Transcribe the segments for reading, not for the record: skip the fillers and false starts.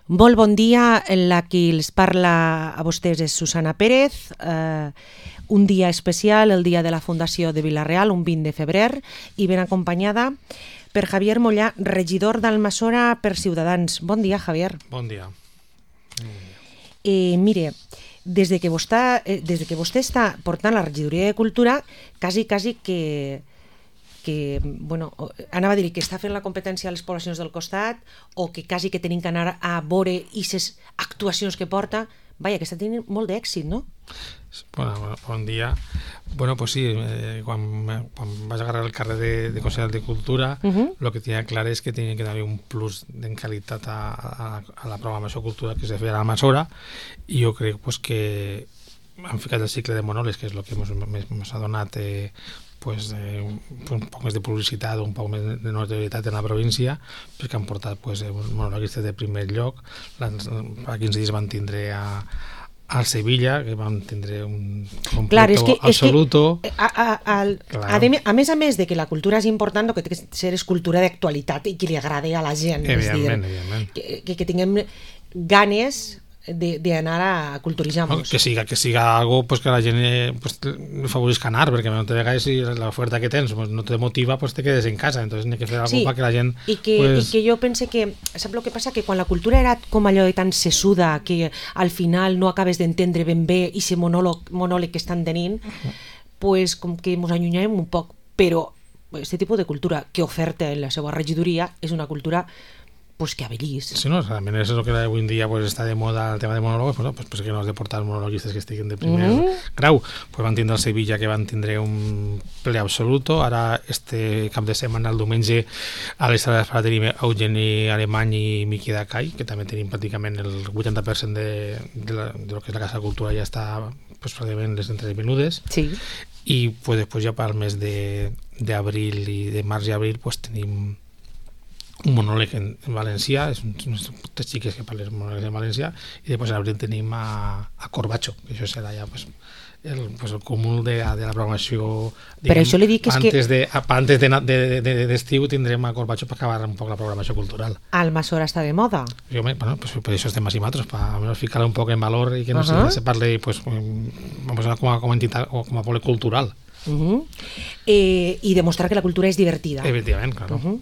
Molt bon dia, la qui els parla a vostès és Susana Pérez. Un dia especial, el dia de la Fundació de Vila-real, un 20 de febrer, i ben acompanyada per Javier Mollà, regidor d'Almassora per Ciutadans. Bon dia, Javier. Bon dia. Mire, des de que vostè està portant la regidoria de Cultura, quasi que bueno, anava a dir que està fent la competència a les poblacions del costat o que quasi que tenim que anar a veure aquestes actuacions que porta. Vaja, que està tenint molt d'èxit, no? Bon dia. Bueno, pues sí, quan vas agarrar el carrer de Consell de Cultura, lo que tenia clar és que tenia que haver un plus en qualitat a la programació cultural que se feia a l'Almassora, i jo crec pues, que han ficat el cicle de monòlegs, que és el que ens ha donat un poc més de publicitat, un poc més de notorietat en la província, perquè han portat monologuistes de primer lloc. Fa 15 dies van tindre al Sevilla, que van tindre un completo absoluto. A més de que la cultura és important, el que té que ser és cultura d'actualitat i que li agrada a la gent. Evidentment. Que tinguem ganes d'anar a culturitzar-nos. Que siga algo pues, que la gent favorisca anar, perquè de vegades si l'oferta que tens no te motiva, pues te quedes en casa, entonces n'hi ha que fer algo perquè la gent... I que jo pense que, sap el que passa? Que quan la cultura era com allò de tan sesuda, que al final no acabes d'entendre ben bé i ese monòleg que estan tenint, pues com que ens allunyem un poc, però aquest tipus de cultura que oferta en la seva regidoria és una cultura pues que avellís. Sí, no, realment és el que avui en dia està de moda el tema de monòlegs, pues que no has de portar monologuistes que estiguin de primer grau. Pues van tindre el Sevilla, que van tindre un ple absoluto. Ara, este cap de setmana, el diumenge, a l'Estada d'Esperà tenim Eugeni Alemany i Miqui Dacai, que també tenim pràcticament el 80% de lo que és la Casa de Cultura ja està pràcticament les entrades venudes. Sí. I després ja per al mes d'abril i de març i abril tenim un monòleg en valencià, unes xiques que parlen monòlegs en valencià, i després en abril tenim a Corbacho, que això serà ja el cúmul de la programació. Per això li dic antes d'estiu tindrem a Corbacho per acabar un poc la programació cultural. Almassora està de moda. Per això estem així nosaltres, per ficar un poc en valor i que no se parli com a entitat o com a poble cultural. I demostrar que la cultura és divertida. Efectivament, claro.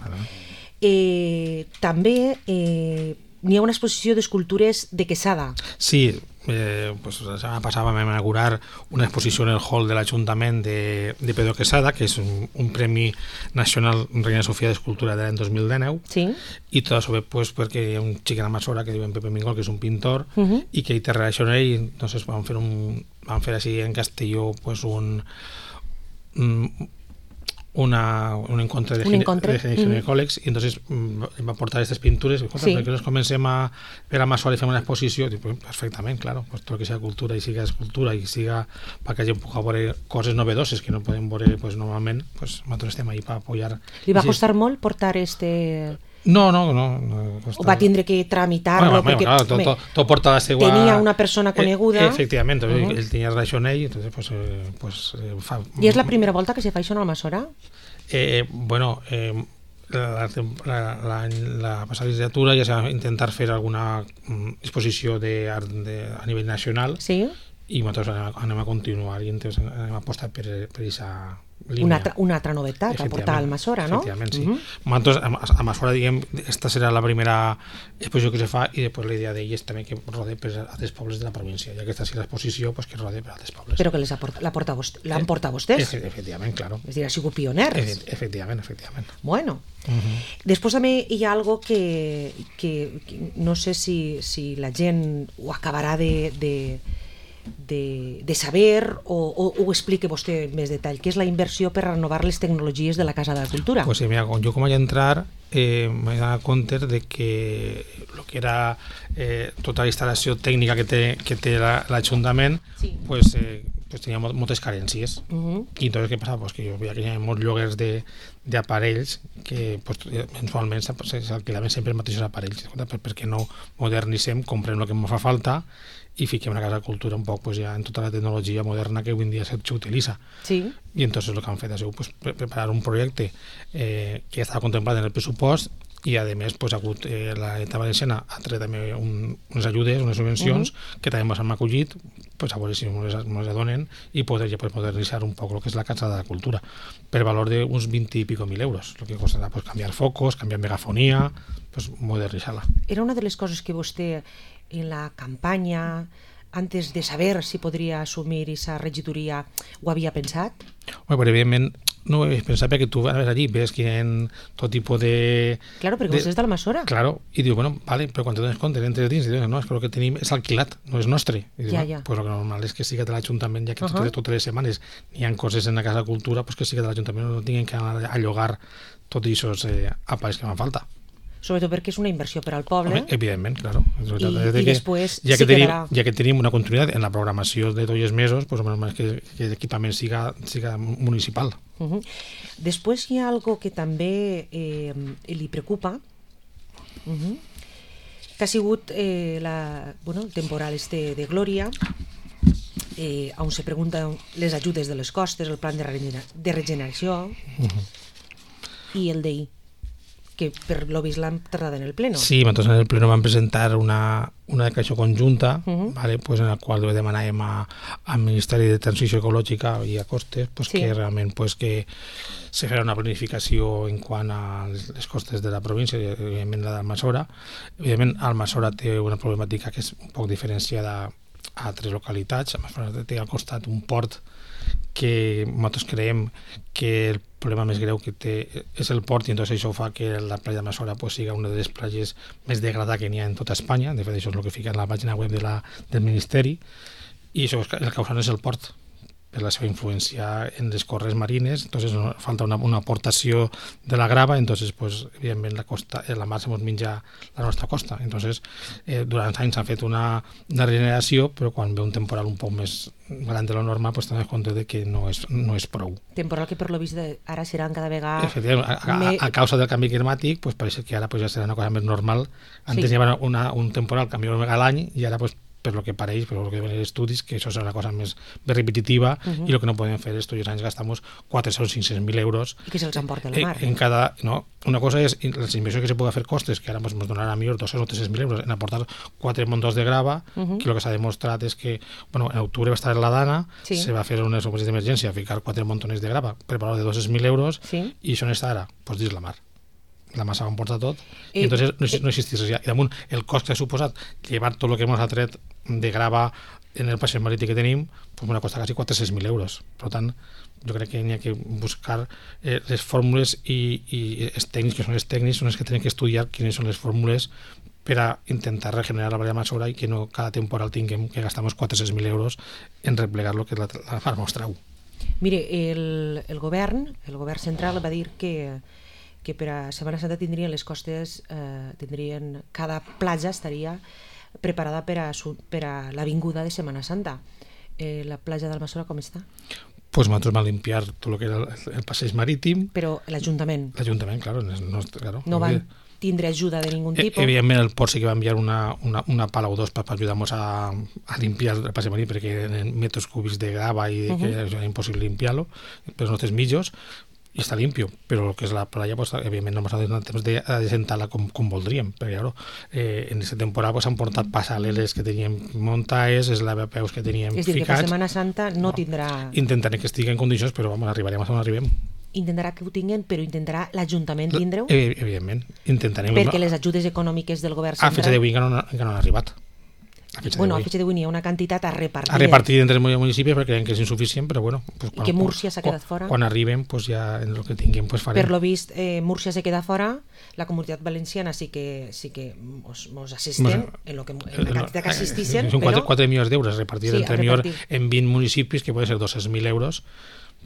També n'hi ha una exposició d'escultures de Quesada. Sí, la setmana passada vam inaugurar una exposició en el hall de l'Ajuntament de Pedro Quesada, que és un Premi Nacional Reina Sofia d'Escultura de l'any 2019. Sí. I tot això perquè hi ha un xic en Almassora que diuen Pepe Mingol, que és un pintor, i que hi té relació amb ell, i entonces van fer així en Castelló un encontre de ginecòlegs, i entonces va portar aquestes pintures i perquè nos comencem a fer a Almassora i fem una exposició, perfectament, claro, tot el que sigui cultura i siga escultura i siga perquè la gent pugui veure coses novedoses que no podem veure normalment, nosaltres estem ahí per apoyar. Li va costar molt portar No. O va tindre que tramitar-lo? Tot porta la seva... Tenia una persona coneguda. Efectivament, ell tenia relació amb ell, entonces I és la primera volta que se fa això en Almassora? La passada legislatura ja s'ha intentat fer alguna exposició a nivell nacional, i nosaltres anem a continuar i entonces anem a apostar per aquesta línia. Una altra novetat a portar a Almassora, no? Efectivament, sí. Nosaltres a Almassora, diguem, esta serà la primera exposició que se fa, i després la idea d'ell és també que rode per altres pobles de la província, i aquesta serà l'exposició que rode per altres pobles. Però que l'han portat vostès? Efectivament, claro. És a dir, ha sigut pioners. Efectivament. Bueno. Després també hi ha algo que no sé si la gent ho acabarà de saber o ho explique vostè més detall, que és la inversió per renovar les tecnologies de la Casa de la Cultura. Pues mira, jo com vaig entrar m'he donat compte de que el que era tota la instal·lació tècnica que té l'Ajuntament tenia moltes carències, i entonces què passava? Que jo veia que hi havia molts lloguers d'aparells que mensualment s'alquilaven sempre els mateixos aparells. Per què no modernitzem, comprem el que ens fa falta i fiquem la Casa de Cultura un poc ja en tota la tecnologia moderna que avui en dia s'utilitza. I entonces el que han fet ha sigut preparar un projecte que estava contemplat en el pressupost i a més pues, ha hagut la Generalitat Valenciana ha tret també unes ajudes, unes subvencions que també ens han acollit pues, a veure si ens adonen i poder modernitzar un poc el que és la Casa de la Cultura per valor d'uns 20 i pico mil euros, el que costarà pues, canviar focos, canviar megafonia, pues, modernitzar-la. Era una de les coses que vostè en la campanya, antes de saber si podria assumir aquesta regidoria, ho havia pensat? Bueno, però evidentment no ho he pensat perquè tu vas allí, ves que hi ha tot tipus de... Claro, perquè vostè és d'Almassora. Claro, i diu, bueno, vale, però quan te dones compte, entres dins i dius, no, és que el que tenim és alquilat, no és nostre. I diu, Ja. Pues el que normal és que siga de l'Ajuntament, ja que totes les setmanes hi ha coses en la Casa de Cultura, pues que siga de l'Ajuntament, no tinguin que anar a llogar tots aquests apais que fan falta. Sobretot perquè és una inversió per al poble. Home, evidentment, claro. I després ja sí quedarà. quedarà. Ja que tenim una continuïtat en la programació de tots els mesos, pues, que l'equipament siga municipal. Després hi ha algo que també li preocupa, que ha sigut el temporal de Glòria, on se pregunten les ajudes de les costes, el plan de regeneració i el DI, que per lo vist l'han tratat en el pleno. Sí, nosaltres en el pleno vam presentar una declaració conjunta, vale, pues, en la qual demanàvem al Ministeri de Transició Ecològica i a Costes pues, que realment pues, que se farà una planificació en quant a les costes de la província, evidentment la d'Almassora. Evidentment, Almassora té una problemàtica que és un poc diferenciada a altres localitats. Almassora té al costat un port que nosaltres creiem que el problema més greu que té és el port i entonces això fa que la platja d'Almassora pues, siga una de les platges més degradades que n'hi ha en tota Espanya. De fet, això és el que fica en la pàgina web del Ministeri i això el causant és el port per la seva influència en les corrents marines, entonces falta una aportació de la grava, entonces pues, evidentment la mar se ens menja la nostra costa. Entonces, durant anys s'ha fet una regeneració, però quan ve un temporal un poc més gran de lo normal, pues, tenim en compte de que no és prou. Temporal que per lo vist ara seran cada vegada... A causa del canvi climàtic, pues, pareix que ara pues, ja serà una cosa més normal. Antes hi havia un temporal canvi a l'any i ara pues, per lo que pareix, per lo que ven els estudis, que això serà una cosa més repetitiva i el que no podem fer és tots els anys gastamos 400.000-500.000 euros i que se'ls emporta la mar. En cada, no? Una cosa és les inversions que se pugui fer costes, que ara ens donarà millor 200 o 300.000 euros en aportar 4 montons de grava, que el que s'ha demostrat és que en octubre va estar en la Dana, se va fer unes operacions d'emergència, ficar 4 montones de grava per valor de 200.000 euros i això on està ara? Doncs dins la mar. La massa ho emporta tot i entonces no existís res. I damunt el cost que ha suposat llevar tot el que ens ha tret de grava en el passeig marítim que tenim pues m'ha costat quasi 400.000 euros. Per tant, jo crec que n'hi ha que buscar les fórmules i els tècnics, que són els tècnics, són els que tenen que estudiar quines són les fórmules per a intentar regenerar la vall d'Almassora i que no cada temporal tinguem que gastar 400.000 euros en replegar lo que és la mar nostra. Mire, el govern central va dir que per a Setmana Santa tindrien les costes, cada platja estaria preparada per a l'avinguda de Setmana Santa. La platja d'Almassora com està? Pues nosaltres vam limpiar tot el que era el passeig marítim. Però l'Ajuntament? L'Ajuntament, claro. No van tindre ajuda de ningún tipus? Evidentment el port sí que va enviar una pala o dos per ajudar-nos a limpiar el passeig marítim perquè eren metres cúbics de grava i que era impossible limpiar-lo per els nostres mitjos. I està limpio, però el que és la playa pues, evidentment no ens ha donat temps de desentar-la com voldríem, perquè en aquesta temporada s'han portat passaleres que teníem muntades, els lavapeus que teníem ficats. És dir, que per Setmana Santa no tindrà... Intentaré que estigui en condicions, però arribarem on arribem. Intentarà que ho tinguin, però intentarà l'Ajuntament tindre-ho? Evidentment, intentarem... Perquè les ajudes econòmiques del govern central... A fetge d'avui encara no han arribat. A fetge d'avui n'hi ha una quantitat a repartir. A repartir entre els municipis perquè creiem que és insuficient, però bueno... Pues, I que Múrcia s'ha quedat fora? Quan arribem, pues, ja en el que tinguem pues, farem. Per lo vist, Múrcia s'ha quedat fora, la Comunitat Valenciana sí que mos assisten en la quantitat que assistixen, són 4 milions d'euros repartir entre millor en 20 municipis, que poden ser 200.000 euros.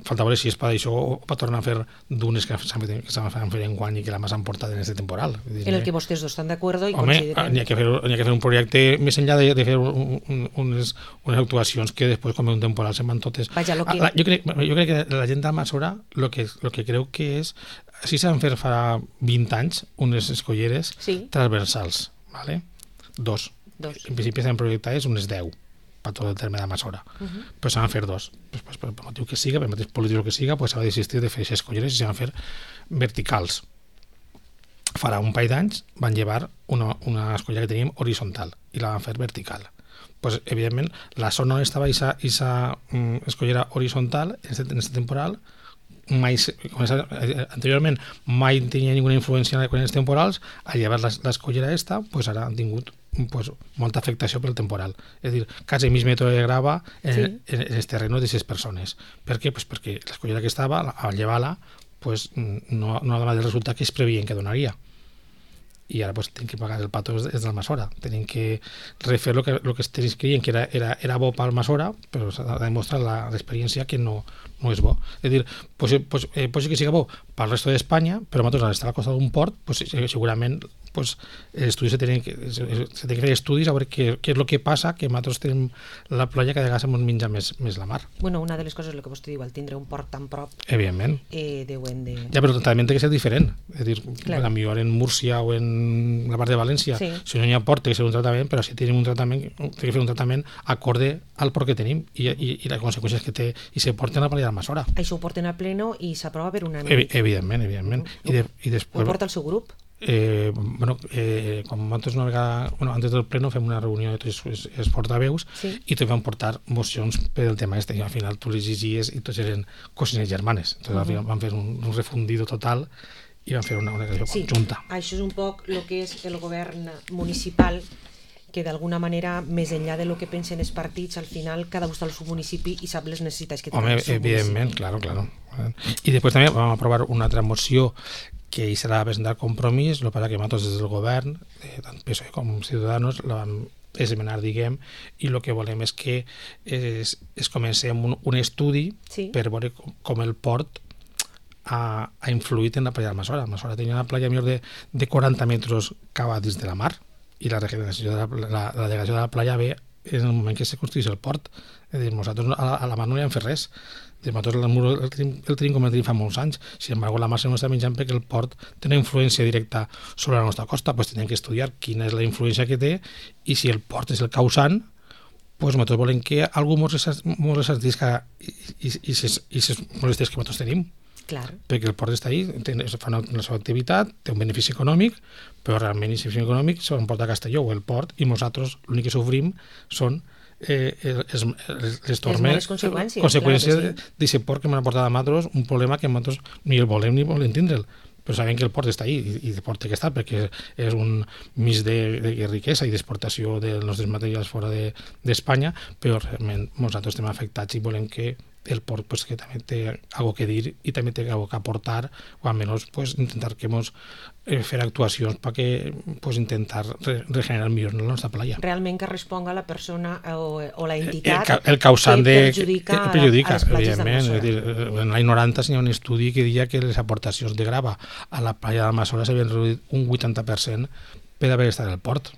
Falta veure si és per això o per tornar a fer dunes que s'han fet en guany i que la massa han portat en aquest temporal. En el que vostès dos estan d'acord i consideren... Home, n'hi ha que fer un projecte més enllà de fer unes actuacions que després, com un temporal, se'n van totes. Vaja, jo crec que la gent d'Almassora el que creu que és... Si s'han fet fa 20 anys unes escolleres transversals, ¿vale? 2. En principi s'han projectat unes 10 per tot el terme d'Almassora, però s'han de fer 2. Per motiu que siga, per mateix polític que siga, s'ha de desistir de fer aquestes escolleres i s'han de fer verticals. farà un parell d'anys van llevar una escollera que teníem horitzontal i la van fer vertical. Pues, evidentment, la zona on estava aquesta escollera horitzontal en este temporal anteriorment mai tenia ninguna influència en els temporals. Al llevar l'escollera pues ara han tingut molta afectació pel temporal. És a dir, quasi mig metre de grava en els terrenos d'aquestes persones. Per què? Pues perquè l'escollera que estava, al llevar-la, no ha donat el resultat que es previen que donaria. I ara tenen que pagar el pato des del Masora. Tenen que refer el que ells creien que era bo pel Masora, però s'ha demostrat l'experiència que no és bo. És a dir, pot ser que sigui bo pel resto d'Espanya, però nosaltres, al estar al costat d'un port, segurament els estudis se tenen que fer estudis a veure què és el que passa, que nosaltres tenim la playa que de vegades ens menja més la mar. Bueno, una de les coses, el que vostè diu, al tindre un port tan prop, evidentment, deuen de... Ja, però també té que ser diferent. És a dir, potser en Múrcia o en la part de València, si no hi ha port té que ser un tractament, però si tenim un tractament, té que fer un tractament acorde al port que tenim i les conseqüències que té i se porten a la playa de Masora. Això ho porten a pleno i s'aprova per unànime. Evidentment. I després... Ho porta el seu grup? Com nosaltres una vegada, antes del pleno fem una reunió de tots els portaveus i tots van portar mocions per el tema este, i al final tu les llegies i tots eren cosines germanes. Entonces al final van fer un refundido total i van fer una declaració conjunta. Això és un poc el que és el govern municipal, que d'alguna manera, més enllà de lo que pensen els partits, al final cada un està al seu municipi i sap les necessitats que té el seu evidentment, claro. I després també vam aprovar una altra moció que hi serà presentar compromís, el que passa que nosaltres des del govern, tant PSOE com Ciudadanos, la vam esmenar, diguem, i el que volem és que es comencem un estudi per veure com el port ha influït en la playa de Masora. Masora tenia una playa millor de 40 metres cava dins de la mar i la regeneració la degradació de la playa ve en el moment que se construís el port. És a dir, nosaltres a la mar no hi hem fet res. Nosaltres el tenim com el tenim fa molts anys. Sin embargo, la mar se n'està menjant perquè el port té una influència directa sobre la nostra costa. Tenim que estudiar quina és la influència que té i si el port és el causant, nosaltres volem que algú ens resartisca i les molèsties que nosaltres tenim. Claro. Perquè el port està ahí, fa la seva activitat, té un benefici econòmic, però realment el benefici econòmic se l'emporta a Castelló o el port, i nosaltres l'únic que sofrim són les conseqüències d'aquest port que m'ha portat a nosaltres un problema que nosaltres ni el volem ni volem tindre'l, però sabem que el port està ahí i el port té que estar perquè és un mig de riquesa i d'exportació dels nostres materials fora d'Espanya, però realment nosaltres estem afectats i volem que el port que també té algo que dir i també té algo que aportar, o almenys intentar que fer actuacions perquè intentar regenerar millor la nostra playa. Realment que responga la persona o la entitat el causant que perjudica a les platges d'Almassora. En l'any 90 hi ha un estudi que deia que les aportacions de grava a la playa d'Almassora s'havien reduït un 80% per haver estat al port.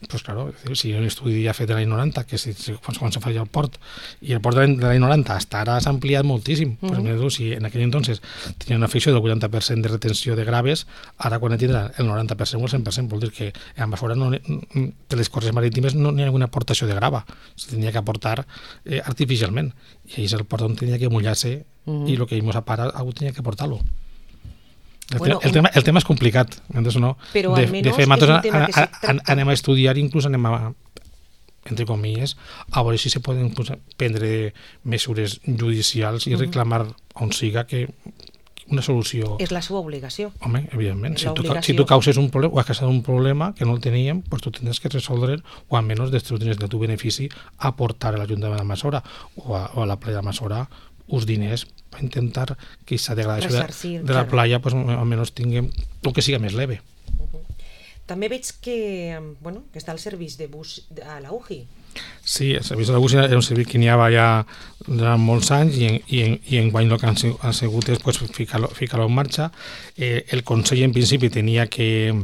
Pues claro, si un estudi ja fet de l'any 90, que quan se feia el port, i el port de l'any 90 hasta ara s'ha ampliat moltíssim. Si en aquell entonces tenia una afecció del 80% de retenció de graves, ara quan tindrà el 90% o el 100%, vol dir que a Masora de les coses marítimes no hi ha ninguna aportació de grava, se tenia que aportar artificialment, i ahí és el port on tenia que mullar-se i el que íbamos a parar algú tenia que aportar-lo. El tema és complicat, no? Però almenys és un tema que se tracta. Anem a estudiar, inclús anem a, entre comilles, a veure si se poden prendre mesures judicials i reclamar on siga que una solució... És la seva obligació. Home, evidentment. Si tu causes un problema o has causat un problema que no el teníem, tu tindràs que resoldre o almenys des del teu benefici aportar a l'Ajuntament de Masora o a la playa de Masora uns diners per intentar que aquesta degradació de la playa almenys tinguem el que siga més leve. També veig que està el servei de bus a la UGI. Sí, el servei de la UGI era un servei que n'hi havia ja durant molts anys i enguany el que han sigut és ficar-lo en marxa. El Consell en principi tenia que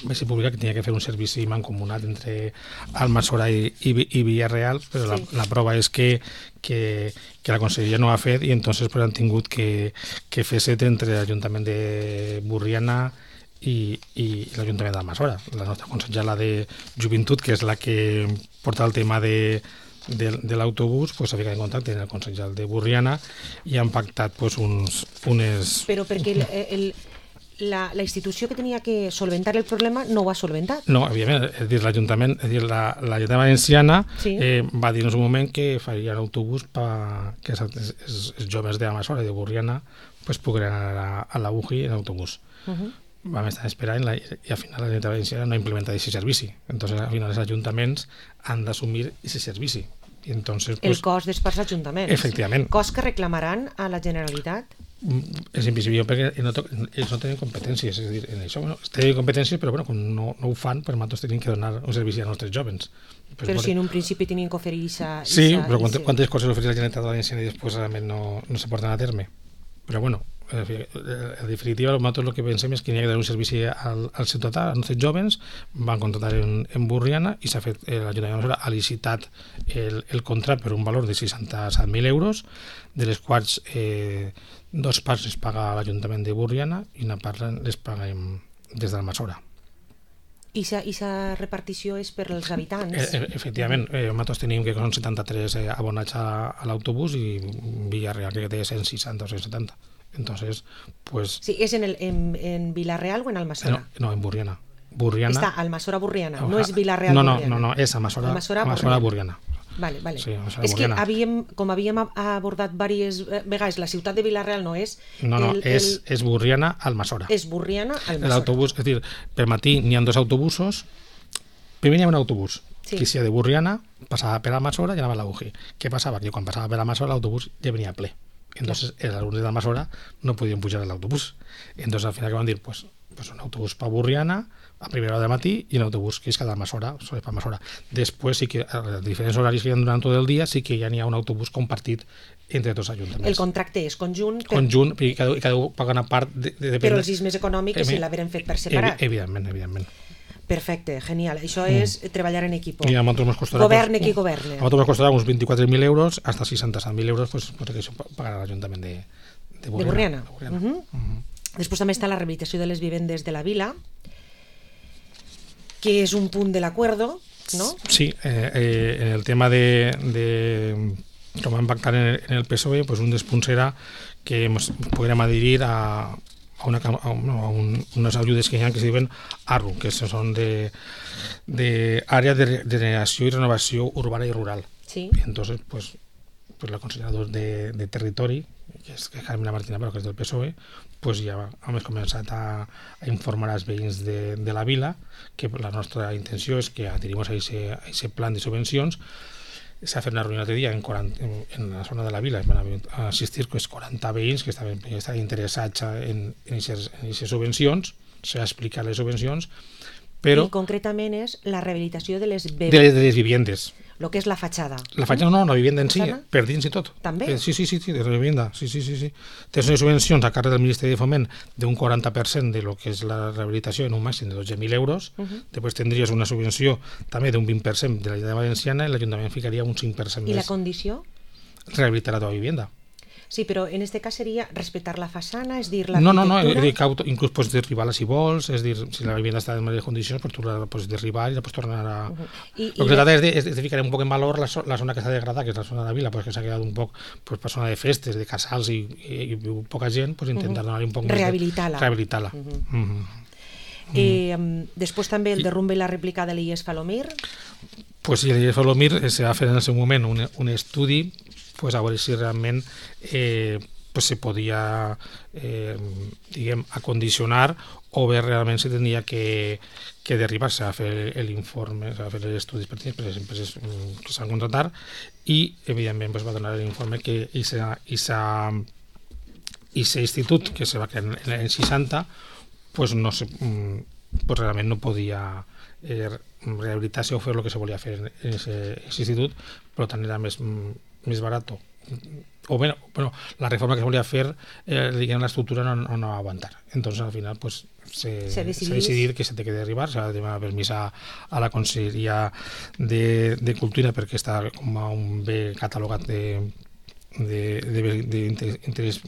va ser publicat que tenia que fer un servici mancomunat entre Almassora i Villarreal, però la prova és que la Conselleria no ho ha fet i entonces han tingut que fer-se entre l'Ajuntament de Burriana i l'Ajuntament d'Almassora. La nostra consellera de Joventut, que és la que porta el tema de l'autobús, s'ha ficat en contacte amb el consellera de Burriana i han pactat unes... Però perquè la institució que tenia que solventar el problema no ho ha solventat. No, evidentment, és dir, l'Ajuntament, l'Ajuntament Valenciana va dir en un moment que faria l'autobús que els joves d'Amassora i de Borriana pogueren anar a la UGI en autobús. Vam estar esperant i al final la Generalitat Valenciana no ha implementat aquest servici. Entonces, al final els ajuntaments han d'assumir aquest servici. Y entonces, el cost és pels ajuntaments. Efectivament. Cost que reclamaran a la Generalitat? És invisible perquè ells no tenen competències, és a dir, en això tenen competències, però com no ho fan, per nosaltres tenim que donar un servici als nostres jovens. Però si en un principi tenien que oferir Sí, però quantes coses ofereix la Generalitat Valenciana i després realment no se porten a terme. Però en definitiva, nosaltres el que pensem és que n'hi ha que donar un servici al ciutadà, als nostres jovens. Van contractar en Borriana i s'ha fet, l'Ajuntament ha licitat el contracte per un valor de 67.000 euros, de les quals 2 parts les paga l'Ajuntament de Borriana i una part les paguem des de l'Almassora. I aquesta repartició és per als habitants? Efectivament, nosaltres tenim que són 73 abonats a l'autobús i Villarreal que té 160 o 170. Entonces, pues... Sí, ¿es en Vila-real o en Almassora? No, en Borriana. Está Almassora-Borriana, no és Vila-real-Borriana. No, és Almassora-Borriana. Vale. Sí, és que com havíem abordat diverses vegades, la ciutat de Vila-real no és... No, és Borriana-Almassora. És Borriana-Almassora. L'autobús, és dir, per matí n'hi ha 2 autobusos. Primer hi ha un autobús que si de Borriana passava per Almassora i anava a la UGI. Què passava? Que quan passava per Almassora l'autobús ja venia ple. Entonces els alumnes de Almassora no podien pujar a l'autobús. Entonces al final que van dir, pues un autobús per Borriana a primera hora del matí i un autobús que és cada Almassora, sobre per Almassora. Després sí que a diferents horaris que hi ha durant tot el dia sí que ja n'hi ha un autobús compartit entre tots els ajuntaments. El contracte és conjunt? Conjunt, i cada un paga una part però els és més econòmic que si l'haveren fet per separat? Evidentment. Perfecte, genial. Això és treballar en equip. Governe qui governe. A nosaltres ens costarà uns 24.000 euros hasta 67.000 euros, pues que això pagarà l'Ajuntament de Borriana. Després també està la rehabilitació de les vivendes de la vila, que és un punt de l'acuerdo, ¿no? Sí, en el tema com vam pactar en el PSOE, pues un dels punts era que ens podríem adherir a unes ajudes que hi ha que se diuen ARRU, que són d'àrea de generació i renovació urbana i rural. Sí. Entonces, pues la consellera de Territori, que és Carmina Martina, però que és del PSOE, pues ja hem començat a informar als veïns de la vila que la nostra intenció és que adherim a aquest plan de subvencions. S'ha fet una reunió l'altre dia en la zona de la vila, van assistir 40 veïns que estaven interessats en aquestes subvencions, s'ha explicat les subvencions, però... I concretament és la rehabilitació de les vivendes. El que és la fatxada. La fatxada no, la vivenda en si, per dins i tot. També? Sí, de la vivenda, sí. Tens unes subvencions a càrrec del Ministeri de Foment d'un 40% de lo que és la rehabilitació en un màxim de 12.000 euros. Després tindries una subvenció també d'un 20% de la Generalitat Valenciana i l'Ajuntament ficaria un 5% més. I la condició? Rehabilitar la teva vivenda. Sí, però en aquest cas seria respectar la façana, és dir, l'arquitectura... No, inclús pots derribar-la si vols, és dir, si la vivenda està en males condicions, pues tu la pots derribar i la pots tornar a... El que trata és de ficar un poc en valor la zona que està degradada, que és la zona de la vila, que s'ha quedat un poc per zona de festes, de casals i poca gent, intentar donar-li un poc més... Rehabilitar-la. Després també el derrumbe i la rèplica de l'IES Falomir. Pues sí, l'IES Falomir se va fer en el seu moment un estudi a veure si realment se podia acondicionar o bé realment se tenia que derribar-se a fer l'informe, a fer els estudis pertinents per les empreses que s'han contratat i evidentment va donar l'informe que aquest institut que se va crear en l'any 60 realment no podia rehabilitar-se o fer el que se volia fer en aquest institut, per tant era més barat o bueno, la reforma que se volia fer l'estructura no va aguantar, entonces al final s'ha decidit que se té que derribar, s'ha de demanar permís a la Conselleria de Cultura perquè està com a un bé catalogat d'interès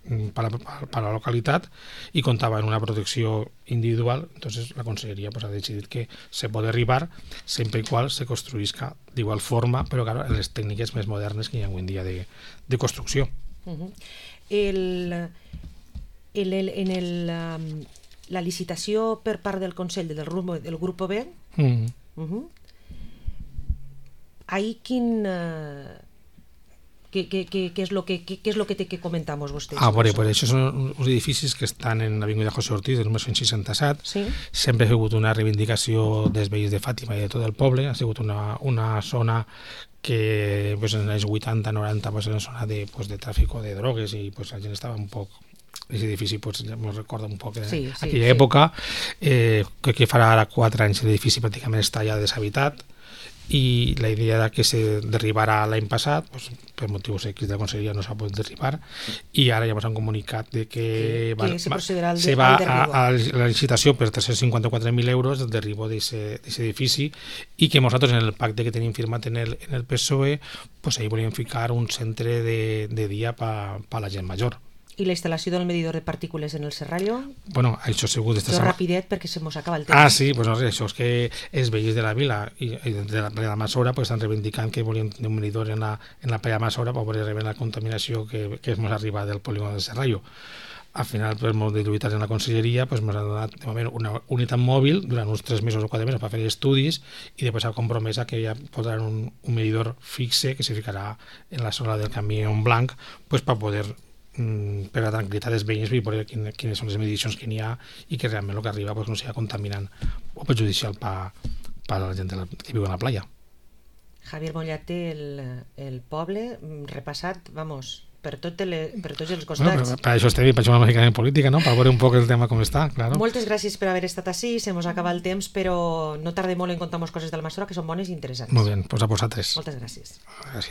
per a la localitat i comptava en una protecció individual, entonces la Conselleria ha decidit que se pot derribar sempre i qual se construïsca d'igual forma, però claro, en les tècniques més modernes que hi ha avui en dia de construcció. la licitació per part del Consell del Grupo B, ahí ¿qué es lo que te comentamos vostès? Pues això són uns edificis que estan en l'avinguda José Ortiz del número 167. Sí. Sempre ha sigut una reivindicació dels veïns de Fàtima i de tot el poble. Ha sigut una zona que pues, en els 80-90 pues, era una zona de tràfic de drogues i pues, la gent estava un poc... Aquest edifici pues, ja me recorda un poc aquella època. Que farà ara 4 anys l'edifici pràcticament està ja deshabitat, i la idea era que se derribara l'any passat, pues, per motius X de la conselleria no s'ha pogut derribar, i ara ja ens han comunicat de que se va a la licitació per 354.000 euros el derribo d'aquest edifici, i que nosaltres en el pacte que tenim firmat en el PSOE pues, ahí volíem ficar un centre de dia per a la gent major. I la instal·lació del medidor de partícules en el Serrallo? Bueno, això ha sigut... Això rapidet perquè se mos acaba el temps. Sí, pues no sé, això és que els veïns de la vila i de la playa Masora pues, estan reivindicant que volien un medidor en la playa Masora per poder rebre la contaminació que ens arriba del polígon del Serrallo. Al final, per molt de lluitar en la conselleria, pues, ens han donat de moment una unitat mòbil durant uns 3 mesos o 4 mesos per fer estudis, i després s'ha compromès que ja podran un medidor fixe que se ficarà en la zona del camí en blanc pues, per poder per la tranquil·litat dels veïns i veure quines són les medicions que n'hi ha i que realment el que arriba pues, no sigui contaminant o perjudicial per a la gent que viu a la playa. Javier Mollate, el poble repassat, vamos, per tots els costats. Per això estem per això una mica en política, no? Per veure un poc el tema com està, claro. Moltes gràcies per haver estat així, se mos acaba el temps, però no tarde molt en contar coses del Masora que són bones i interessants. Molt bé, pues a vosaltres. Moltes gràcies. Gràcies.